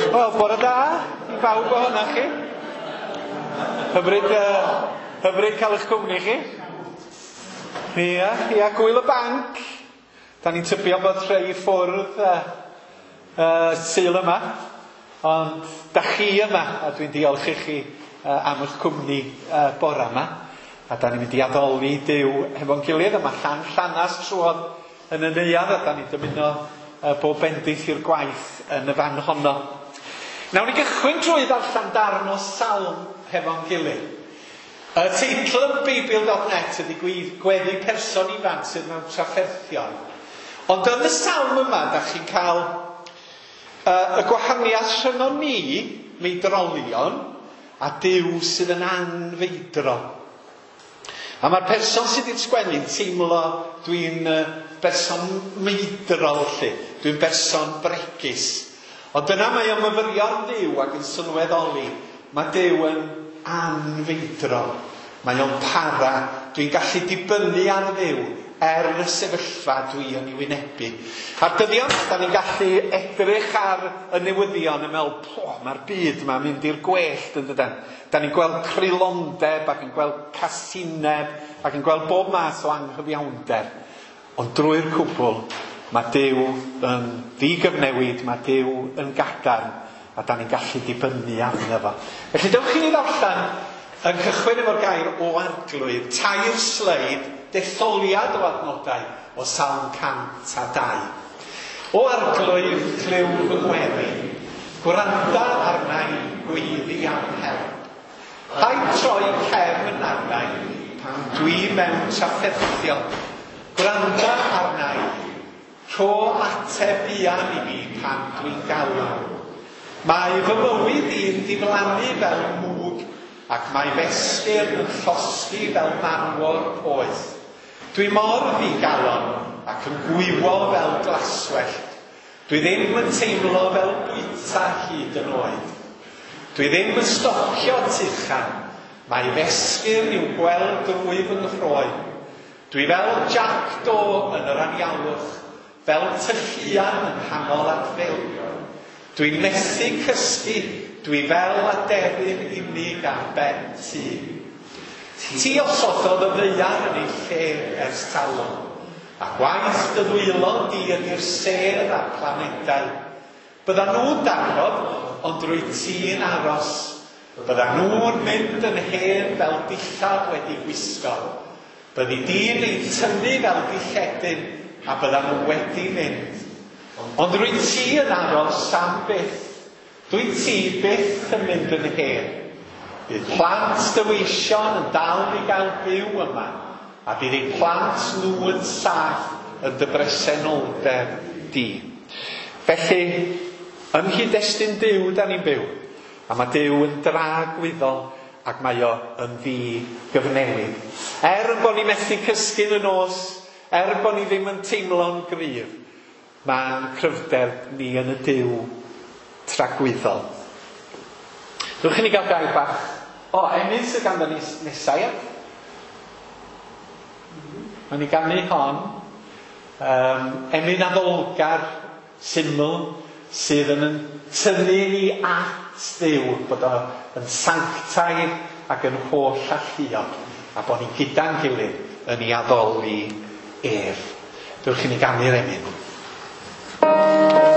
Wel, bore da i bawb ohonoch chi. Hyfryd, hyfryd cael eich cwmni chi. Ia, ia, gwyl y banc. Da ni'n tybio bod rhai ffwrdd Sul yma, ond da chi yma, a dwi'n diolch i chi am eich cwmni bore yma. A da ni'n mynd i addoli Duw hefo'n gilydd, a mae Llan Llanas trwodd yn y neuadd, a da ni'n dymuno bob bendith i'r gwaith yn y fan honno. Nawn ni gychwyn drwy ddarllen darn o salm hefo'n gilydd. Y teitl yn Beibl.net ydy gweddi person ifanc sydd mewn trafferthion. Ond yn y salm yma, da chi'n cael y gwahaniaeth rhyngon ni, meidrolion, a Duw sydd yn anfeidrol. A mae'r person sydd wedi'r sgwennu'n teimlo dwi'n berson meidrol lly, dwi'n berson bregus. Ond dyna mae o'n myfyrio ar Dduw ac yn sylweddoli, mae Duw yn anfeidrol. Mae o'n para, dwi'n gallu dibynnu ar Dduw er y sefyllfa dwi yn ei wynebu. A'r dyddiau yma, da ni'n gallu edrych ar y newyddion yn meddwl, po, mae'r byd yma'n mynd i'r gwellt yn dydan. Da ni'n gweld creulondeb ac yn gweld casineb ac yn gweld bob math o anghyfiawnder. Ond drwy'r cwbl, mae Duw yn ddigyfnewid, mae Duw yn gadarn, a da ni'n gallu dibynnu arno fo. Felly dewch i ni ddarllen yn cychwyn efo'r gair o Arglwydd, 3 sleid, detholiad o adnodau o Salm 102. O Arglwydd, clyw fy ngweddi, gwranda arna i, gweiddi am help. Paid troi cefn arna i, pan dwi mewn trafferthion. Gwranda arna i, rho ateb buan i mi pan dwi'n galw. Mae fy mywyd i'n diflannu fel mwg, ac mae f'esgyrn yn llosgi fel marmor poeth. Dwi mor ddigalon ac yn gwywo fel glaswellt. Dwi ddim yn teimlo fel bwyta hyd yn oed. Dwi ddim yn stopio tuchan. Mae f'esgyrn i'w gweld drwy fy nghroen. Dwi fel Jac Do yn yr anialwch, fel tylluan yng nghanol adfeilion. Dwi'n methu cysgu, dwi fel aderyn unig ar ben tŷ. Ti osododd y ddaear yn ei lle ers talwm, a gwaith dy ddwylo di ydy'r sêr a'r planedau. Byddan nhw'n darfod, ond rwyt ti'n aros. Byddan nhw'n mynd yn hen fel dillad wedi gwisgo. Byddi di'n eu tynnu fel dilledyn, a byddan nhw wedi mynd. Ond rwyt ti yn aros am byth. Dwyt ti byth yn mynd yn hen. Bydd plant dy weision yn dal i gael byw yma, a bydd eu plant nhw yn saff yn dy bresenoldeb di. Felly, yng nghyd-destun Duw da ni'n byw, a mae Duw yn dragwyddol ac mae o yn ddigyfnewid. Er bod ni methu cysgu yn y nos, er bod ni ddim yn teimlo'n gryf, mae'n cryfder ni yn y Duw tragwyddol. Dewch i ni gael gair bach. O, emyn sydd ganddo ni nesaf, ia? Mae'n i ganu hon. Emyn addolgar, syml, sydd yn tynnu ni at Dduw, bod o yn sanctaidd ac yn holl alluog, a bod ni gyda'n gilydd yn ei addoli ef. Dewch i ni ganu'r emyn. Thank you.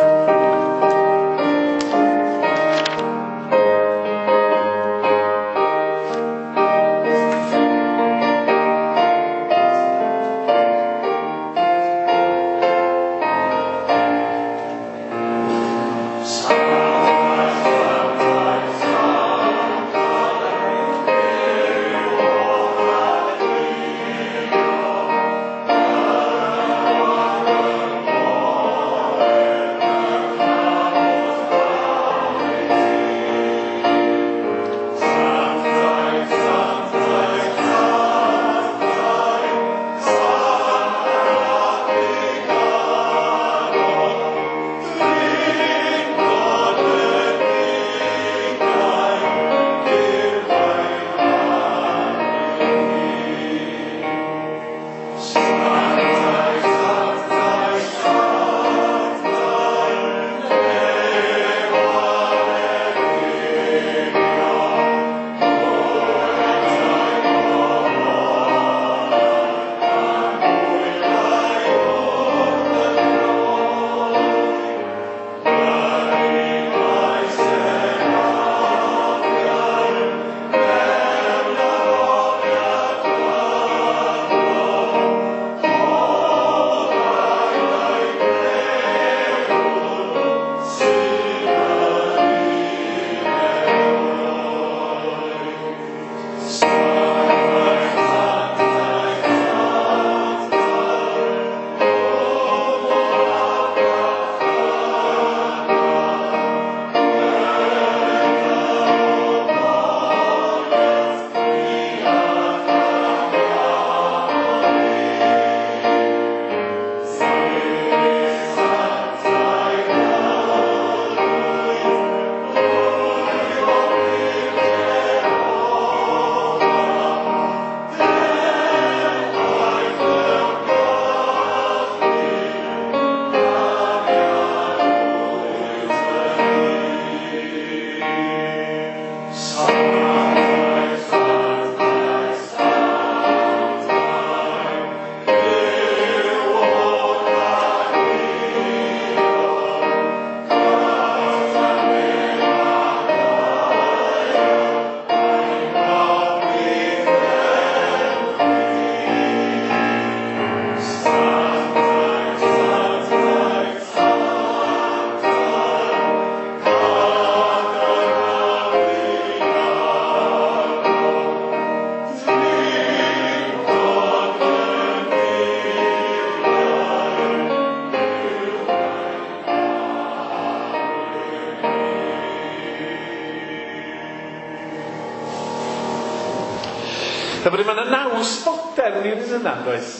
Hyfryd, mae yna naws fodern i'r un yna, does?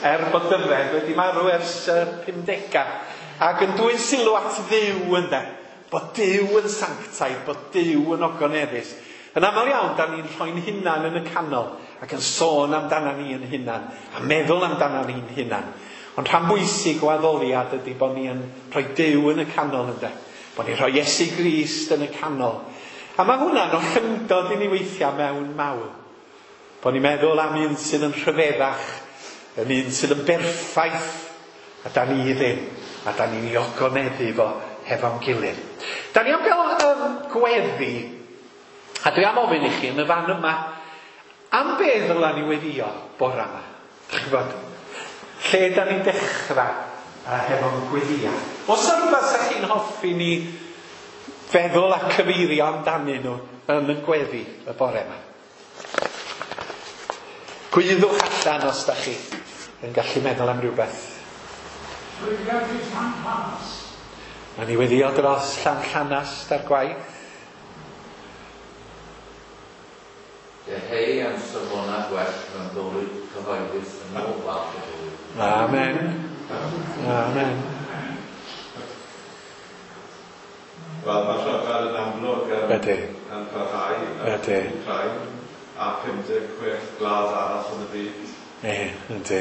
Er bod Dyfed wedi marw ers 50au. Ac yn dwyn sylw at Dduw, ynde. Bod Duw yn sanctaidd, bod Duw yn ogoneddus. Yn aml iawn, da ni'n rhoi'n hunan yn y canol ac yn sôn amdana ni yn hunan a meddwl amdana ni'n hunan. Ond rhan bwysig o addoliad ydy bod ni yn rhoi Duw yn y canol, ynde. Bod ni'n rhoi Iesu Grist yn y canol. A mae hwnna'n ollyngdod i ni weithiau mewn mawl. Bod ni'n meddwl am un sydd yn rhyfeddach, yn un sydd yn berffaith, a da ni ddim, a da ni'n ei ogoneddu fo hefo'n gilydd. Da ni am gael gweddi, a dwi am ofyn i chi yn y fan yma, am be ddyla ni weddio bora yma? Dych chi'n gwybod, lle da ni'n dechrau hefo'n gweddia? Oes yna rhywbeth sa chi'n hoffi ni feddwl a cyfeirio amdanyn nhw yn y gweddi y bore yma? Gwyddwch allan os da chi yn gallu meddwl am rhywbeth. Mae ni weddio dros Llanllanast ar gwaith. Deheu am safonau gwell mewn bywyd cyhoeddus yn ôl fath o fywyd. Amen. Amen. Wel, mae rhyfel yn amlwg yn parhau yn Wcráin a 56 gwlad arall yn y byd. Ie, yndi.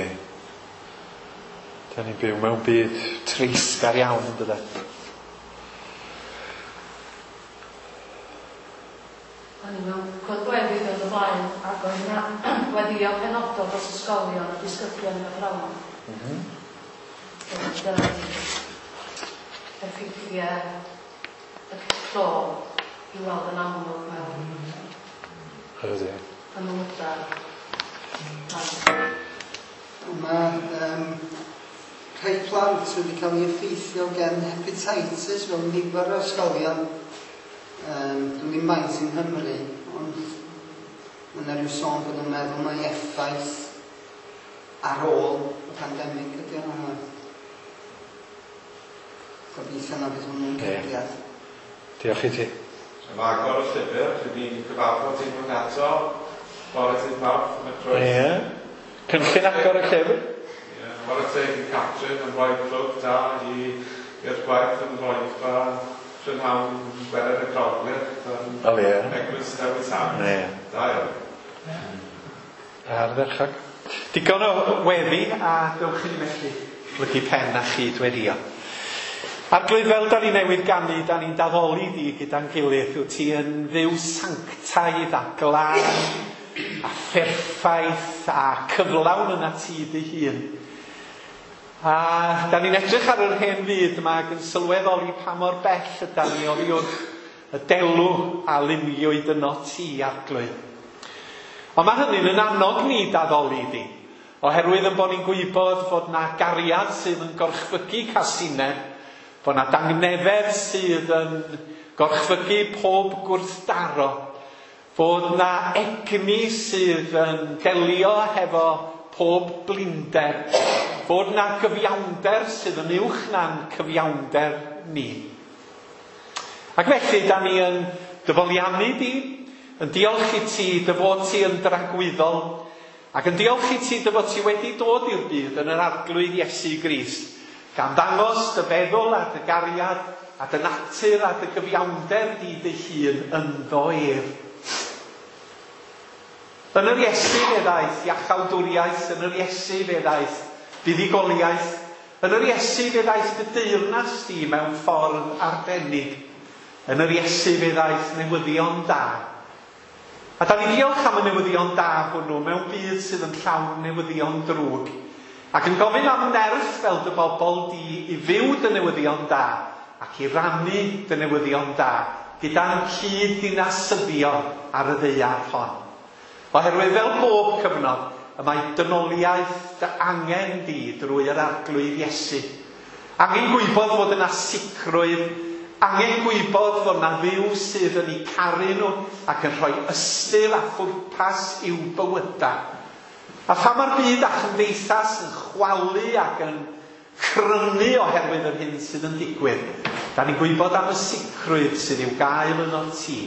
Da ni'n byw mewn byd treisgar iawn, yn dydan? O'n i mewn cwrdd gweddi diwrnod o blaen, ac oedd yna weddio penodol dros ysgolion a disgyblion ac athrawon. Oedd effeithiau y clo i weld yn amlwg mewn ymwydau. Mae rhai plant wedi cael eu effeithio gan hepatitis mewn nifer o ysgolion. Dwi'n ddim maint yng Nghymru, ond mae yna rhyw sôn bod nhw'n meddwl mai effaith ar ôl y pandemig ydy hwnna. Gobeithio na bydd hwnnw'n cyrraedd. Diolch i ti. Am agor y llyfr, rydyn ni'n cyfarfod unwaith eto, bore dydd Mawrth yn y Croes. Ie. Cynllun agor y llyfr. Ie, chwarae teg i Catrin yn rhoi plwg da i'r gwaith yn Roedfa prynhawn Gwener y Groglith yn Eglwys Dewi Sant. Ie. Da iawn. Ardderchog. Digon o weddi a dewch i ni felly blygu pen a chyd-weddio. Arglwydd, fel da ni newydd ganu, da ni'n daddoli di gyda'n gilydd. Wyt ti yn Dduw sanctaidd a glân a pherffaith a cyflawn yna ti dy hun. A da ni'n edrych ar yr hen fyd yma ac yn sylweddoli pa mor bell yda ni oddi wrth y delw a luniwyd yno ti, Arglwydd. Ond mae hynny'n yn annog ni daddoli di, oherwydd yn bod ni'n gwybod fod na gariad sydd yn gorchfygu casineb, bod na dangnefedd sydd yn gorchfygu pob gwrthdaro, fod na egni sydd yn delio hefo pob blinder, fod na gyfiawnder sydd yn uwch na'n cyfiawnder ni. Ac felly, da ni yn dyfoliannu di, yn diolch i ti dy fod ti yn dragwyddol, ac yn diolch i ti dy fod ti wedi dod i'r byd yn yr Arglwydd Iesu Grist, gan ddangos dy feddwl a dy gariad a dy natur a dy gyfiawnder di dy hun ynddo ef. Yn yr Iesu fe ddaeth iachawdwriaeth, yn yr Iesu fe ddaeth buddugoliaeth, yn yr Iesu fe ddaeth dy deyrnas di mewn ffordd arbennig, yn yr Iesu fe ddaeth newyddion da. A da ni diolch am y newyddion da hwnnw mewn byd sydd yn llawn newyddion drwg, ac yn gofyn am nerth fel dy bobl di i fyw dy newyddion da ac i rannu dy newyddion da gyda'n cyd-ddinasyddion ar y ddaear hon. Oherwydd fel bob cyfnod, y mae dynoliaeth dy angen di drwy yr Arglwydd Iesu. Angen gwybod fod yna sicrwydd, angen gwybod fod yna Dduw sydd yn eu caru nhw ac yn rhoi ystyr a phwrpas i'w bywydau. A pha mae'r byd a chymdeithas yn chwalu ac yn crynu oherwydd yr hyn sydd yn digwydd, da ni'n gwybod am y sicrwydd sydd i'w gael yno ti.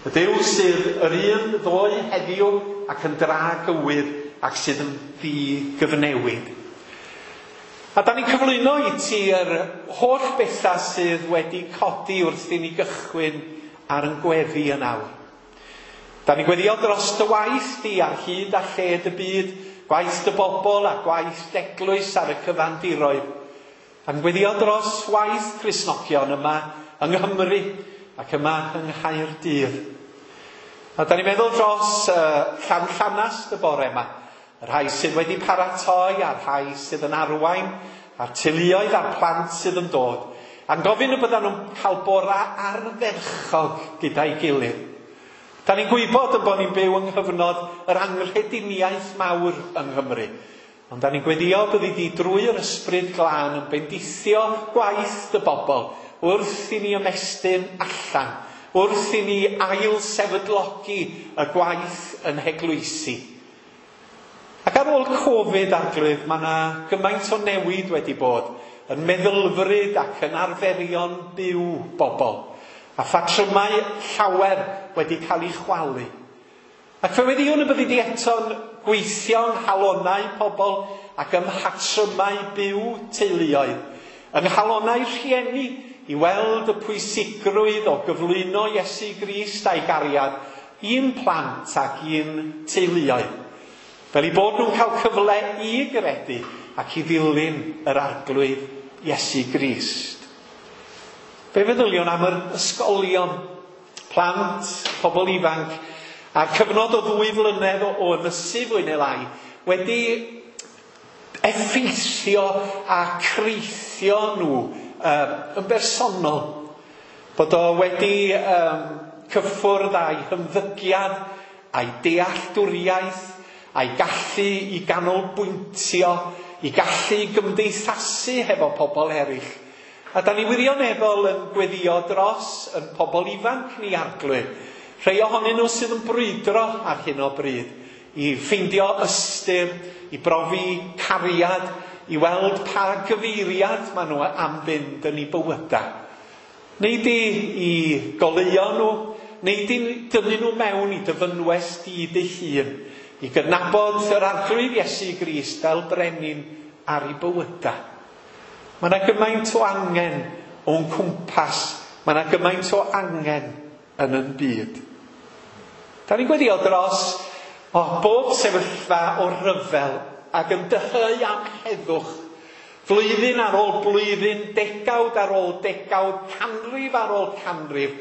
Y Duw sydd yr un ddoe heddiw ac yn dragywydd ac sydd yn ddigyfnewid. A da ni'n cyflwyno i ti yr holl bethau sydd wedi codi wrth i ni gychwyn ar yn gweddi yn awr. Da ni'n gweddio dros dy waith di ar hyd a lled y byd, gwaith dy bobl a gwaith d'eglwys ar y cyfandiroedd. A'n gweddio dros waith Cristnogion yma yng Nghymru ac yma yng Nghaerdydd. A da ni'n meddwl dros Llanllanast y bore yma, y rhai sydd wedi paratoi a'r rhai sydd yn arwain, a'r teuluoedd a'r plant sydd yn dod. A'n gofyn y byddan nhw'n cael bora ardderchog gyda'i gilydd. Da ni'n gwybod y bod ni'n byw yng nghyfnod yr anghrediniaeth mawr yng Nghymru. Ond da ni'n gweddio byddi di drwy'r ysbryd glân yn bendithio gwaith dy bobl wrth i ni ymestyn allan, wrth i ni ail sefydlogi y gwaith yn heglwysi. Ac ar ôl Covid, Arglwydd, mae yna gymaint o newid wedi bod yn meddylfryd ac yn arferion byw bobl, a phatrymau llawer wedi cael eu chwalu. Ac fe weddïwn y byddi di eto'n gweithio yng nghalonnau pobl ac ym mhatrymau byw teuluoedd, yng nghalonnau rhieni i weld y pwysigrwydd o gyflwyno Iesu Grist a'i gariad i'n plant ac i'n teuluoedd, fel eu bod nhw'n cael cyfle i gredu ac i ddilyn yr Arglwydd Iesu Grist. Fe feddyliwn am yr ysgolion, plant, pobl ifanc, a'r cyfnod o 2 flynedd o ynysu fwy neu lai wedi effeithio a creithio nhw yn bersonol. Bod o wedi cyffwrdd â'i hymddygiad, a'i dealltwriaeth, a'i gallu i ganolbwyntio, i gallu gymdeithasu hefo pobl eraill. A da ni wirioneddol yn gweddio dros yn pobl ifanc ni, Arglwydd. Rhai ohonyn nhw sydd yn brwydro ar hyn o bryd, i ffeindio ystyr, i brofi cariad, i weld pa gyfeiriad maen nhw am fynd yn eu bywydau. Neu di i goleuo nhw, neu di dynnu nhw mewn i dy fynwes di dy hun, i gydnabod yr Arglwydd Iesu Grist fel brenin ar ei bywydau. Mae yna gymaint o angen o'n cwmpas, mae yna gymaint o angen yn yn byd. Da ni'n gweddio dros bob sefyllfa o ryfel ac yn dyheu am heddwch. Flwyddyn ar ôl blwyddyn, degawd ar ôl degawd, canrif ar ôl canrif,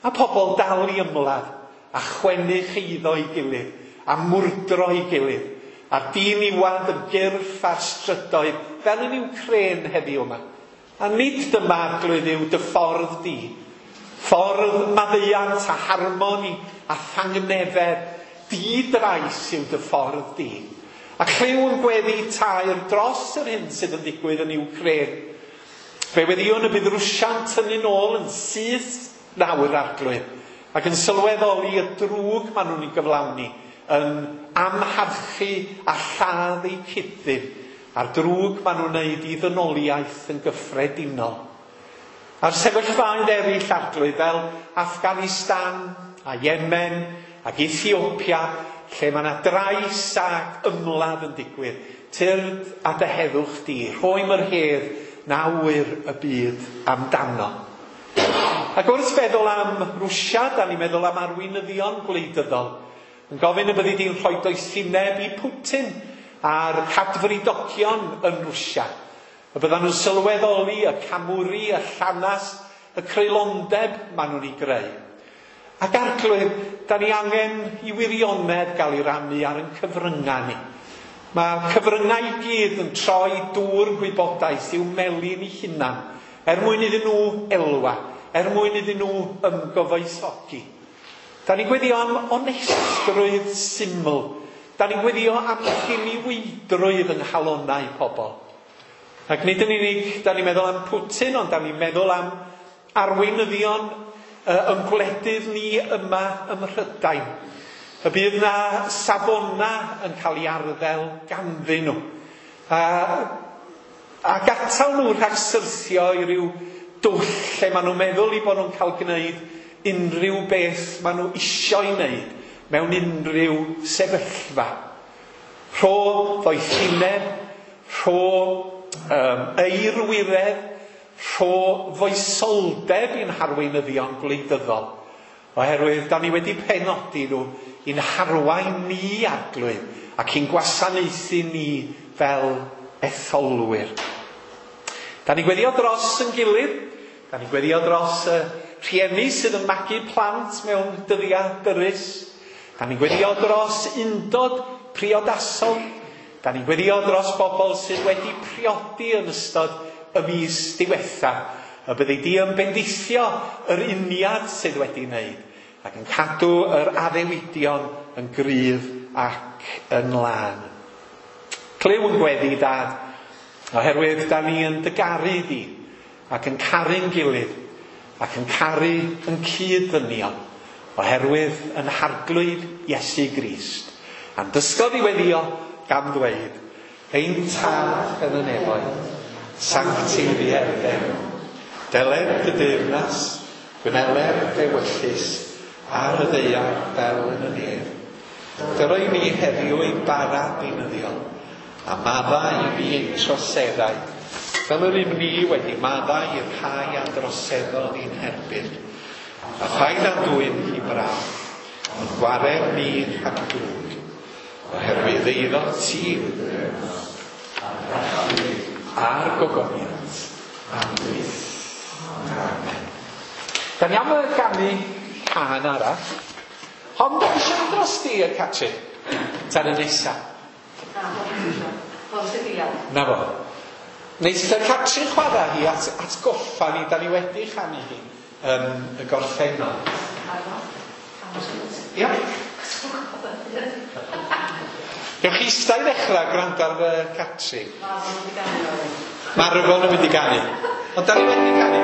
a pobl dal i ymladd a chwennu cheiddo i gilydd, a mwrdro i gilydd, a diniwad yn gyrff ar strydoedd, fel yn Wcrên heddiw yma. A nid dyma, Arglwydd, yw dy ffordd di. Ffordd maddeuant a harmoni a thangnefedd, di-drais yw dy ffordd di. A chlyw yn gweddi taer dros yr hyn sydd yn digwydd yn Wcrên. Fe weddïwn y bydd Rwsia'n tynnu nôl yn syth nawr, Arglwydd, ac yn sylweddoli y drwg maen nhw'n ei gyflawni, yn amharchu a lladd eu cyd-ddyn, a'r drwg maen nhw'n wneud i ddynoliaeth yn gyffredinol. A'r sefyllfaoedd eraill, Arglwydd, fel Afghanistan a Yemen ac Ethiopia, lle mae yna drais ac ymladd yn digwydd, tyrd a dy heddwch di, rhoim yr hedd na ŵyr y byd amdano. Ac wrth feddwl am Rwsia, da ni'n meddwl am arweinyddion gwleidyddol, yn gofyn y byddi di'n rhoi doethineb i Putin a'r cadfridogion yn Rwsia. Y byddan nhw'n sylweddoli y camwri, y llanas, y creulondeb maen nhw'n ei greu. Ac Arglwydd, da ni angen i wirionedd gael ei rannu ar ein cyfryngau ni. Mae cyfryngau i gyd yn troi dŵr gwybodaeth i'w melin eu hunan, er mwyn iddyn nhw elwa, er mwyn iddyn nhw ymgyfoethogi. Da ni'n gweddio am onestrwydd syml. Da ni'n gweddio am ddiniweidrwydd yng nghalonnau pobl. Ac nid yn unig da ni'n meddwl am Putin, ond da ni'n meddwl am arweinyddion yn gwledydd ni yma ym Mhrydain. Y bydd na safona yn cael ei arddel ganddyn nhw. A atal nhw rhag syrthio i ryw dwll lle maen nhw'n meddwl i bod nhw'n cael gwneud unrhyw beth maen nhw isio'i wneud mewn unrhyw sefyllfa. Rho ddoethineb, rho eirwiredd, rho foesoldeb i'n harweinyddion gwleidyddol. Oherwydd, da ni wedi penodi nhw i'n harwain ni, Arglwydd, ac i'n gwasanaethu ni fel etholwyr. Da ni'n gweddio dros yn gilydd, da ni'n gweddio dros y rhieni sydd yn magu plant mewn dyddiau dyrys, da ni'n gweddio dros undod priodasol, da ni'n gweddio dros bobl sydd wedi priodi yn ystod y mis diwetha, y byddi di yn bendithio yr uniad sydd wedi wneud, ac yn cadw yr addewidion yn gryf ac yn lân. Clyw yn gweddi, Dad, oherwydd da ni yn dygaru di, ac yn caru'n gilydd, ac yn caru yn cyd-ddynion, oherwydd yn Harglwydd Iesu Grist. A'n dysgodd i weddio gan ddweud, ein Tad yn y nefoedd, sancteiddier dy enw. Deled dy deyrnas, gwneler dy ewyllys, ar y ddaear fel yn y nef. Dyro i ni heddiw ein bara beunyddiol, a maddau i ni ein troseddau, fel yr ym ni wedi maddau i'r rhai a droseddodd i'n herbyn. A phaid â'n dwyn i brawf, ond gwared ni rhag drwg, oherwydd eiddo ti yw dy deyrnas, a'r gogoniant, am byth. Amen. Da ni am y ganu cân arall. Hon, da eisiau mynd dros di, y Catrin? Tan y nesa. Na, hon sydd ia. Na fo. Neith y Catrin chwarae hi at atgoffa ni, da ni wedi chanu hi yn y gorffennol. Ia. Gewch chi eistedd i ddechrau gwrando ar y Catrin. Mae rhyfel yn mynd i ganu. Ond da ni wedi canu.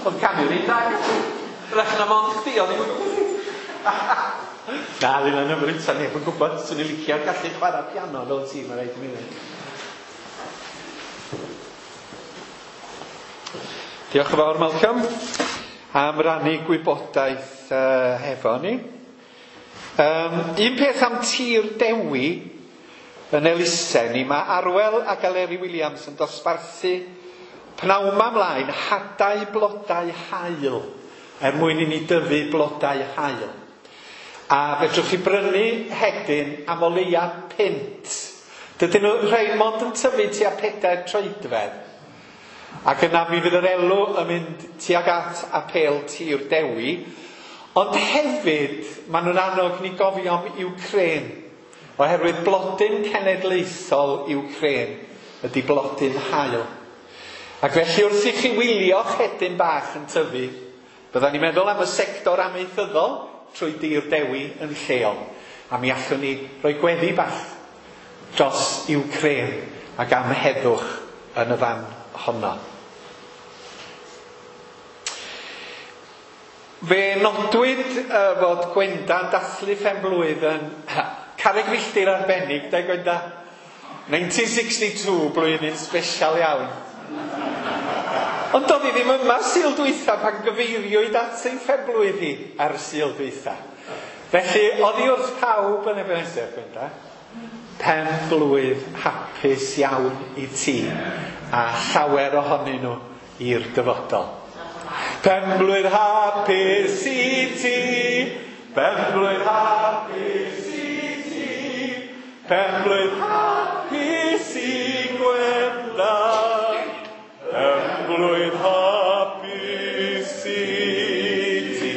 Oedd canu'r un da. Rach na mond chdi, oedd i'n Na, ddim yn hyfryd, sa neb yn gwybod. Swn i'n licio gallu chwarae piano fel ti, mae rhaid i mi ddweud. Diolch yn fawr, Malcolm, am rannu gwybodaeth hefo ni. Un peth am Tir Dewi yn elusen ni, mae Arwel ac Eleri Williams yn dosbarthu pnawn 'ma ymlaen hadau blodau haul er mwyn i ni dyfu blodau haul. A fedrwch chi brynu hedyn am o leia £5. Dydyn nhw rhai mond yn tyfu tua 4 troedfedd. Ac yna mi fydd yr elw yn mynd tuag at apêl Tir Dewi. Ond hefyd, maen nhw'n annog ni gofio am Ukraine. Oherwydd blodyn cenedlaethol Ukraine ydy blodyn haul. Ac felly wrth i chi wylio'ch hedyn bach yn tyfu, byddan ni'n meddwl am y sector amaethyddol trwy Dir Dewi yn lleol. A mi allwn ni roi gweddi bach dros Ukraine ac am heddwch yn y fan honno. Fe nodwyd fod Gwenda'n dathlu phen-blwydd yn carreg filltir arbennig, de Gwenda? 1962, blwyddyn special iawn. Ond doedd hi ddim yma Sul dwytha pan gyfeiriwyd at ei phen-blwydd hi ar y Sul dwytha. Felly, oddi wrth pawb yn Ebenezer, Gwenda, pen-blwydd hapus iawn i ti a llawer ohonyn nhw i'r dyfodol. Pen-blwydd hapus i ti, pen-blwydd hapus i ti, pen-blwydd hapus i Gwenda, pen-blwydd hapus i ti.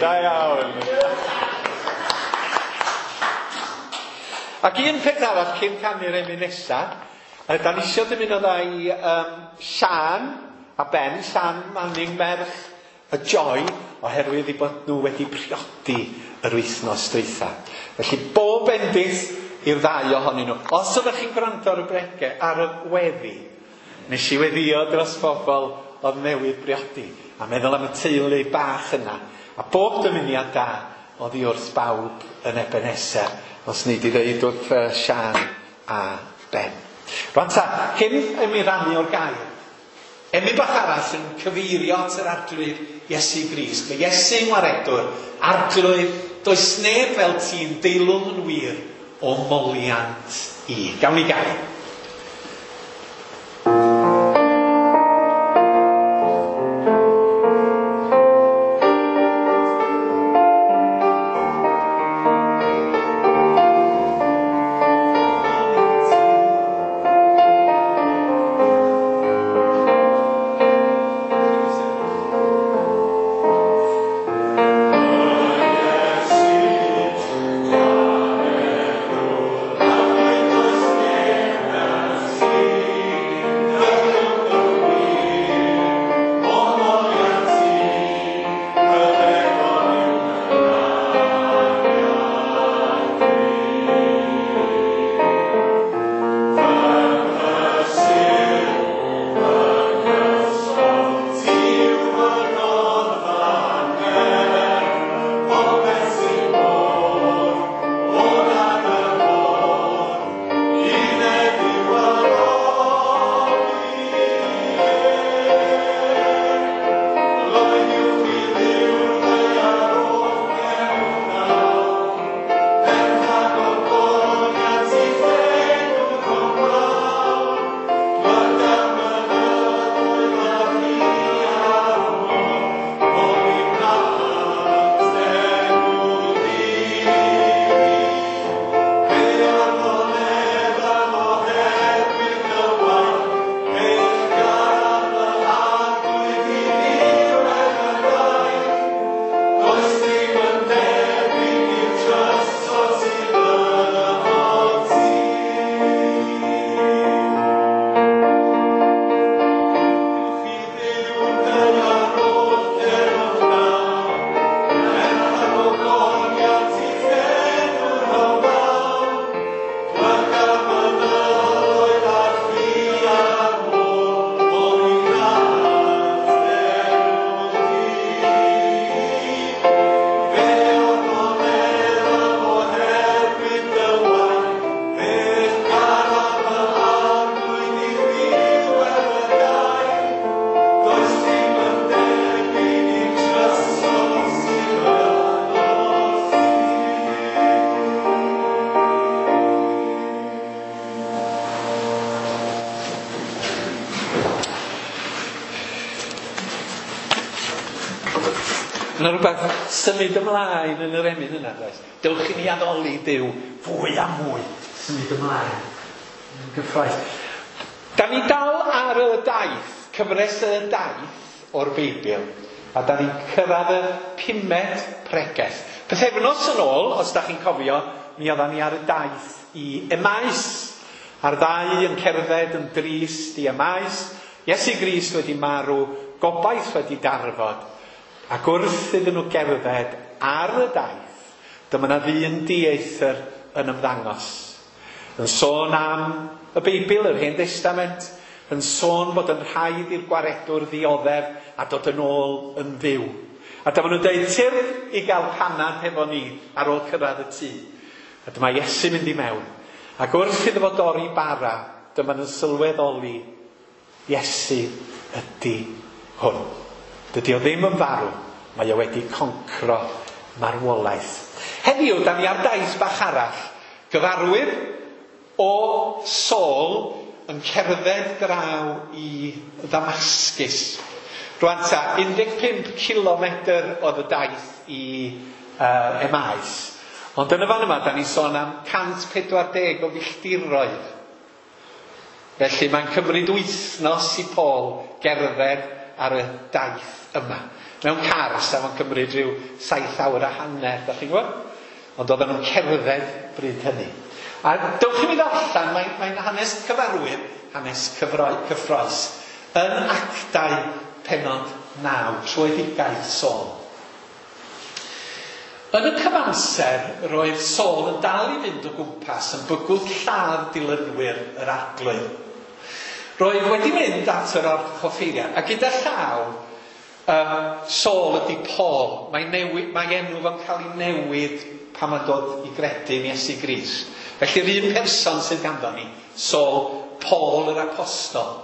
Da iawn. Ac un peth arall cyn canu'r emyn nesa, da ni isio dymuno dda i Sian a Ben, Sian Manning merch y Joy, oherwydd eu bod nhw wedi priodi yr wythnos dwytha. Felly bob bendith i'r ddau ohonyn nhw. Os ydych chi'n gwrando ar y brege, ar y weddi, nes i weddio dros bobl oedd newydd briodi, a meddwl am y teulu bach yna, a bob dymuniad da oddi wrth bawb yn Ebenezer, os nei di ddeud wrth Sian a Ben. Rwan ta, cyn i mi rannu o'r gair, emyn bach arall yn cyfeirio at yr Arglwydd Iesu Grist. Mae Iesu'n waredwr, Arglwydd, does neb fel ti'n deilwng yn wir o moliant i. Gawn ni gael. Does neb Yna rhywbeth symud ymlaen yn yr emyn yna, does? Dewch i ni addoli Duw fwy a mwy. Symud ymlaen. Yn gyffrous. Da ni dal ar y daith, cyfres y daith o'r Beibl, a da ni'n cyrraedd y pumed pregeth. Pythefnos yn ôl, os da chi'n cofio, mi oeddan ni ar y daith i Emaus. A'r ddau yn cerdded yn drist i Emaus. Iesu Grist wedi marw, gobaith wedi darfod. Ac wrth iddyn nhw gerdded ar y daith, dyma 'na ddyn dieithr yn ymddangos. Yn sôn am y Beibl, yr Hen Destament, yn sôn bod yn rhaid i'r gwaredwr ddioddef a dod yn ôl yn fyw. A dyma nhw'n dweud, tyrd i gael panad hefo ni ar ôl cyrraedd y tŷ. A dyma Iesu mynd i mewn. Ac wrth iddo fo dorri bara, dyma nhw'n sylweddoli, Iesu ydy hwn. Dydy o ddim yn farw, mae o wedi concro marwolaeth. Heddiw, da ni ar daith bach arall. Gyfarwydd o Saul yn cerdded draw i Ddamascus. Rwan ta, 15 kilometr oedd y daith i Emaus. Ond yn y fan yma, da ni'n sôn am 140 o filltiroedd. Felly mae'n cymryd wythnos i Paul gerdded ar y daith yma. Mewn car, sa fo'n cymryd rhyw 7 awr a hanner, da chi'n gwybod? Ond oedden nhw'n cerdded bryd hynny. A dewch i mi ddarllen, mae'n hanes cyfarwydd, hanes cyffrous, yn Actau pennod 9, tröedigaeth Saul. Yn y cyfamser, roedd Saul yn dal i fynd o gwmpas yn bygwth lladd dilynwyr yr Arglwydd. Roedd wedi mynd at yr archoffeiriad, a gyda llaw, Saul ydy Paul. Mae enw fo'n cael ei newid pan mae'n dod i gredu yn Iesu Grist. Felly'r un person sydd ganddo ni, Saul, Paul yr Apostol.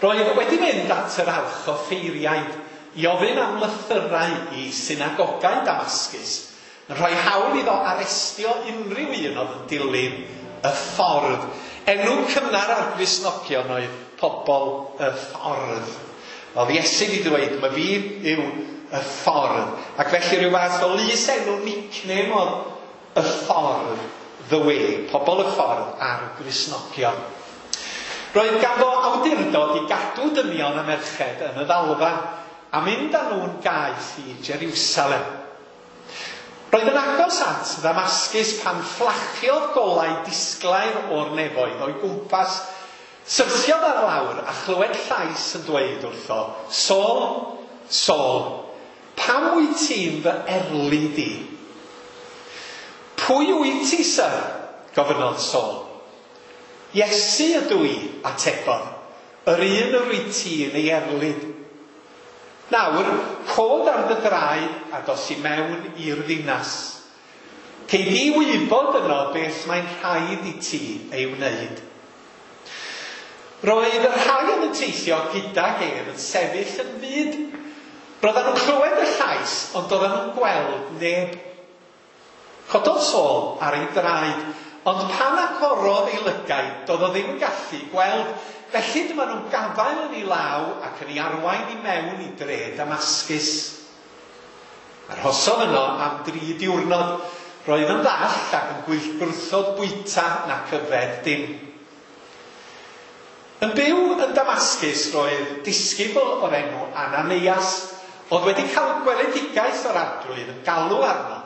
Roedd wedi mynd at yr archoffeiriaid i ofyn am lythyrau i synagogau Damascus, yn rhoi hawl iddo arestio unrhyw un oedd yn dilyn y ffordd. Enw cynnar ar Gristnogion oedd pobl y ffordd. Oedd Iesu wedi dweud, mae fi yw y ffordd. Ac felly rhyw fath o lys enw nickname oedd y ffordd, the way, pobl y ffordd ar Gristnogion. Roedd ganddo awdurdod i gadw dynion a merched yn y ddalfa a mynd â nhw'n gaeth i Jerusalem. Roedd yn agos at Ddamascus pan fflachiodd golau disglair o'r nefoedd o'i gwmpas. Syrthiodd ar lawr a chlywed llais yn dweud wrtho, Saul, Saul, pam wyt ti'n fy erlid i? Pwy wyt ti, syr? Gofynnodd Saul. Iesu ydw i, atebodd, yr un yr wyt ti'n ei erlid. Nawr, cod ar dy draed a dos i mewn i'r ddinas. Cei di wybod yno beth mae'n rhaid i ti ei wneud. Roedd y rhai oedd yn teithio gydag ef yn sefyll yn fud. Roedden nhw'n clywed y llais, ond oedden nhw'n gweld neb. Cododd Saul ar ei draed, ond pan agorodd ei lygaid, doedd o ddim yn gallu gweld. Felly dyma nhw'n gafael yn ei law ac yn ei arwain i mewn i dre Damascus. Arhosodd yno am 3 diwrnod. Roedd yn ddall ac yn gwrthod bwyta nac yfed dim. Yn byw yn Damascus roedd disgybl o'r enw Ananias, oedd wedi cael gweledigaeth o'r Arglwydd yn galw arno.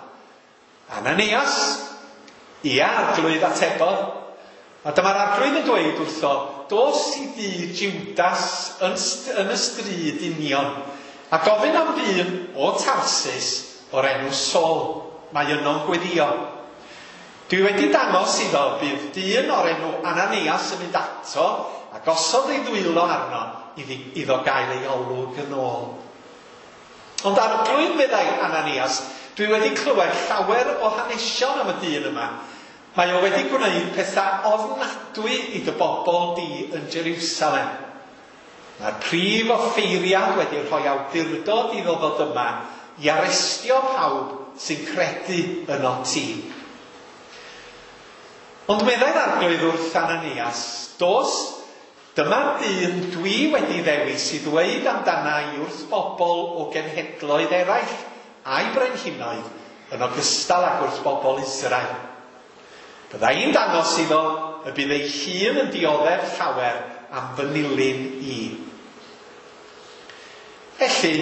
Ananias, ia, Arglwydd, atebodd. A dyma'r Arglwydd yn dweud wrtho, dos i dŷ Judas yn y stryd union, a gofyn am ddyn o Tarsus o'r enw Saul. Mae yno'n gweddio. Dwi wedi dangos iddo bydd dyn o'r enw Ananias yn mynd ato a gosod ei ddwylo arno iddo gael ei olwg yn ôl. Ond Arglwydd, meddai Ananias, dwi wedi clywed llawer o hanesion am y dyn yma. Mae o wedi gwneud pethau ofnadwy i dy bobl di yn Jerusalem. Mae'r prif offeiriad wedi rhoi awdurdod iddo ddod yma i arestio pawb sy'n credu yno ti. Ond meddai'r Arglwydd wrth Ananias, dos, Dyma'r dyn dwi wedi ddewis i ddweud amdana i wrth bobl o genhedloedd eraill a'i brenhinoedd yn ogystal ag wrth bobl Israel. Bydda i'n dangos iddo y bydd ei hun yn dioddef llawer am fy nilyn i. Felly,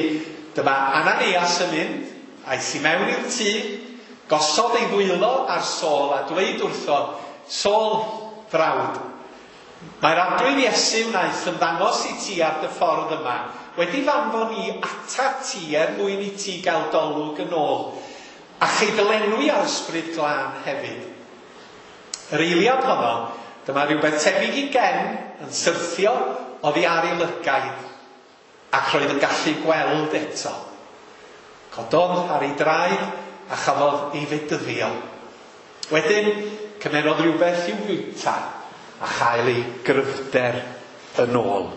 dyma Ananias yn mynd, aeth i mewn i'r tŷ, gosod ei ddwylo ar Saul a dweud wrtho, Saul, frawd, mae'r Arglwydd Iesu wnaeth ymddangos i ti ar dy ffordd yma, wedi f'anfon i atat ti er mwyn i ti gael dolwg yn ôl, a chei dy lenwi â'r Ysbryd Glân hefyd. Yr eiliad honno, dyma rhywbeth tebyg i gen yn syrthio oddi ar ei lygaid, ac roedd yn gallu gweld eto. Cododd ar ei draed a chafodd ei fedyddio. Wedyn, cymerodd rhywbeth i'w fwyta a chael ei gryfder yn ôl.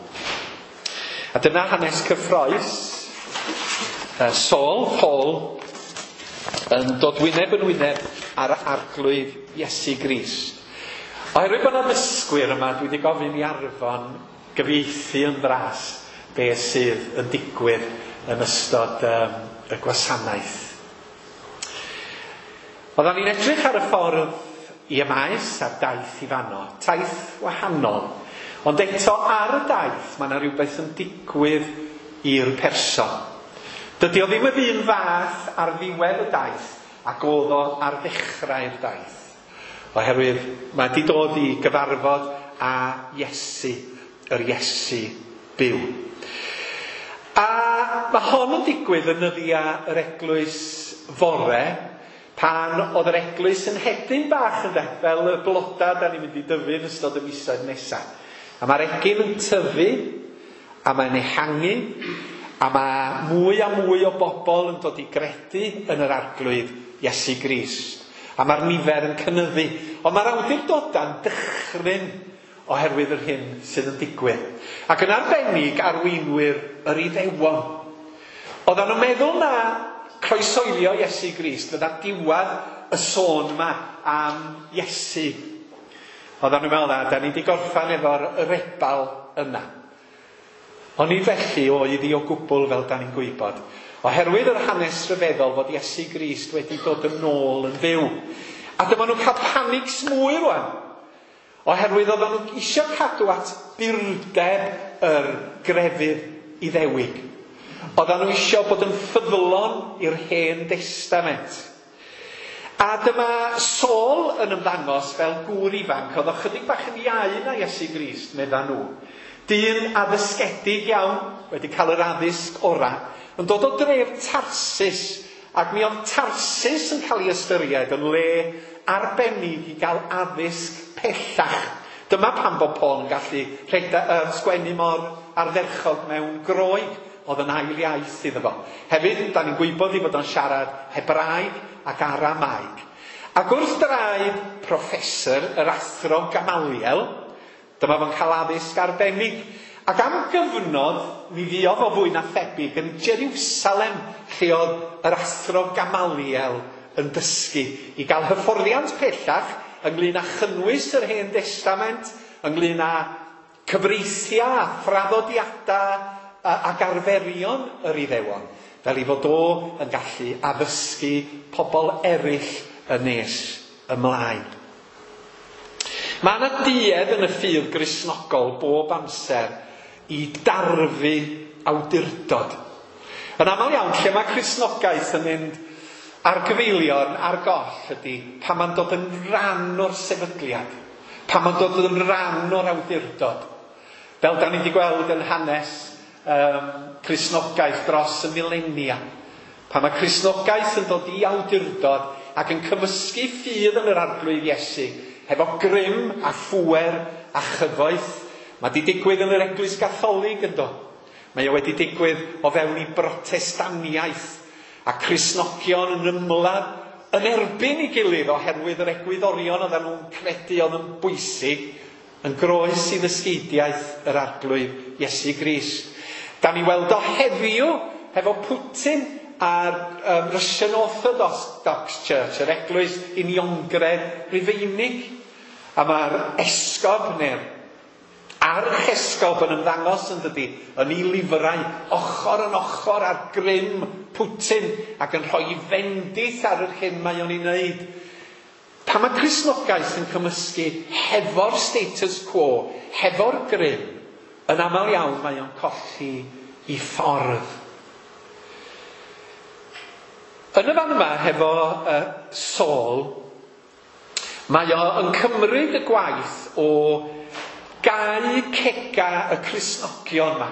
A dyna hanes cyffrous. Saul, Paul, yn dod wyneb yn wyneb ar Arglwydd Iesu Grist. Oherwydd bod yna ddysgwyr yma, dwi wedi gofyn i Arfon gyfieithu yn fras beth sydd yn digwydd yn ystod y gwasanaeth. Oedden ni'n edrych ar y ffordd i Emaus a'r daith i fanno, taith wahanol. Ond eto ar y daith mae yna rhywbeth yn digwydd i'r person. Dydy o ddim yr un fath ar ddiwedd y daith ac oedd o ar ddechrau'r daith. Oherwydd mae wedi dod i gyfarfod â Iesu, yr Iesu byw. A mae hon yn digwydd yn nyddiau yr eglwys fore, pan oedd yr eglwys yn hedyn bach ynde, fel y bloda da ni'n mynd i dyfu yn ystod y misoedd nesaf. A mae'r egin yn tyfu, a mae'n ehangu, a mae mwy a mwy o bobl yn dod i gredu yn yr Arglwydd Iesu Grist. A mae'r nifer yn cynyddu. Ond mae'r awdurdodau'n dychryn oherwydd yr hyn sydd yn digwydd. Ac yn arbennig arweinwyr yr Iddewon. Oedden nhw'n meddwl na croeshoelio Iesu Grist fydda diwedd y sôn yma am Iesu. Oedden nhw'n meddwl na, da ni wedi gorffan efo'r rebal yna. Ond nid felly oedd hi o gwbl fel da ni'n gwybod. Oherwydd yr hanes rhyfeddol fod Iesu Grist wedi dod yn ôl yn fyw. A dyma nhw'n cael panics mwy rwan. Oherwydd oedden nhw eisiau cadw at burdeb yr grefydd Iddewig. Oedden nhw eisiau bod yn ffyddlon i'r Hen Destament. A dyma Saul yn ymddangos fel gŵr ifanc, oedd o chydig bach yn iau na Iesu Grist, medda nhw. Dyn addysgedig iawn, wedi cael yr addysg ora, yn dod o dref Tarsus, ac mi oedd Tarsus yn cael ei ystyried yn le arbennig i gael addysg pellach. Dyma pam bod Paul yn gallu sgwennu mor ardderchog mewn Groeg, oedd yn ail iaith iddo fo. Hefyd, da ni'n gwybod ei fod o'n siarad Hebraeg ac Aramaeg. Ac wrth draed professor, yr athro Gamaliel, dyma fo'n cael addysg arbennig. Ac am gyfnod, mi fuodd o fwy na thebyg yn Jerusalem, lle oedd yr athro Gamaliel yn dysgu i gael hyfforddiant pellach ynglyn â chynnwys yr Hen Destament, ynglyn â cyfreithiau a thraddodiadau ac arferion yr Iddewon, fel ei fod o yn gallu addysgu pobl eraill yn nes ymlaen. Mae yna duedd yn y ffydd Gristnogol bob amser i darfu awdurdod. Yn aml iawn, lle mae Cristnogaeth yn mynd ar gyfeiliorn, ar goll ydy pan mae'n dod yn rhan o'r sefydliad, pan mae'n dod yn rhan o'r awdurdod. Fel da ni wedi gweld yn hanes Cristnogaeth dros y milenia. Pan mae Cristnogaeth yn dod i awdurdod ac yn cymysgu ffydd yn yr Arglwydd Iesu, hefo grym a phŵer a chyfoeth, mae wedi digwydd yn yr Eglwys Gatholig ynddo. Mae o wedi digwydd o fewn i Brotestaniaeth a Cristnogion yn ymladd yn erbyn ei gilydd oherwydd yr egwyddorion oedden nhw'n credu oedd yn bwysig yn groes i ddysgeidiaeth yr Arglwydd Iesu Grist. Da ni weld o heddiw hefo Putin a'r Russian Orthodox Church, yr Eglwys Uniongred Rufeinig. A mae'r esgob neu'r Archesgob yn ymddangos yn dydi, yn ei lyfrau, ochr yn ochr ar grym Putin ac yn rhoi fendith ar yr hyn mae o'n ei wneud. Pan mae Cristnogaeth yn cymysgu hefo'r status quo, hefo'r grym, yn aml iawn mae o'n colli ei ffordd. Yn y fan yma, hefo Saul, mae o yn cymryd y gwaith o gau cega y Cristnogion yma,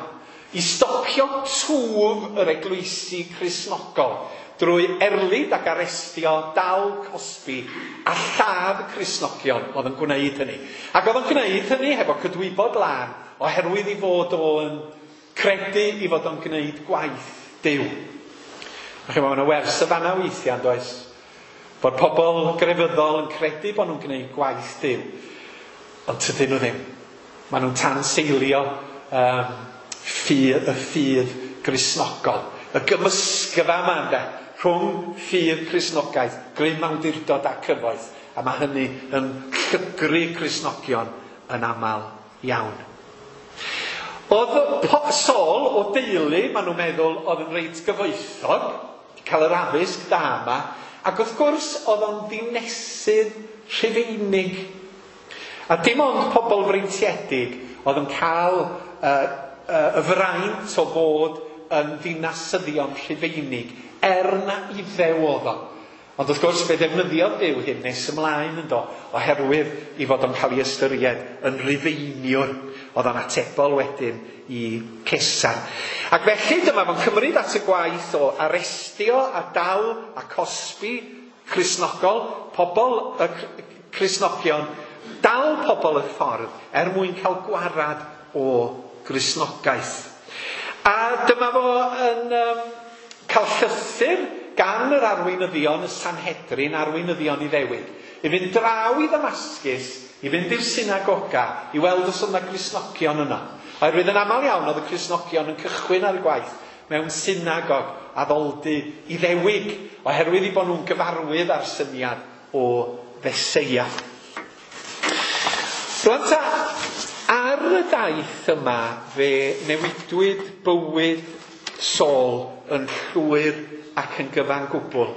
i stopio twf yr eglwysi Cristnogol drwy erlid ac arestio, dal, cosbi a lladd y Cristnogion oedd yn gwneud hynny. Ac oedd yn gwneud hynny hefo cydwybod lân oherwydd i fod o'n credu i fod o'n gwneud gwaith Duw. A chi'mod, mae yna wers y fanna weithiau, yn does? Bod pobl grefyddol yn credu bod nhw'n gwneud gwaith Duw, ond tydyn nhw ddim. Maen nhw'n tanseilio y ffydd Gristnogol. Y gymysgfa yma, ynde, rhwng ffydd Cristnogaeth, grym awdurdod a cyfoeth. A mae hynny yn llygru Cristnogion yn aml iawn. Oedd Saul o deulu, maen nhw'n meddwl, oedd yn reit gyfoethog, cael yr addysg da yma, ac wrth gwrs oedd o'n ddinesydd Rhufeinig. A dim ond pobl freintiedig oedd yn cael y fraint o fod yn ddinasyddion Rhufeinig, er na Iddew oedd o. Ond wrth gwrs fe ddefnyddiodd Duw hyn nes ymlaen yndo, oherwydd i fod o'n cael ei ystyried yn Rhufeiniwr. Oedd o'n atebol wedyn i Cesar. Ac felly dyma fo'n cymryd at y gwaith o arestio a dal a cosbi Cristnogol, pobl y Cristnogion, dal pobl y ffordd er mwyn cael gwarad o Gristnogaeth. A dyma fo yn cael llythyr gan yr arweinyddion, y Sanhedrin, arweinyddion Iddewig, i fynd draw i Ddamascus, i fynd i'r synagoga, i weld os oedd yna Gristnogion yno. Oherwydd yn aml iawn oedd y Cristnogion yn cychwyn ar y gwaith mewn synagog addoldy Iddewig, oherwydd i bod nhw'n gyfarwydd â'r syniad o Feseia. Rwan ta, ar y daith yma fe newidwyd bywyd Saul yn llwyr ac yn gyfan gwbl.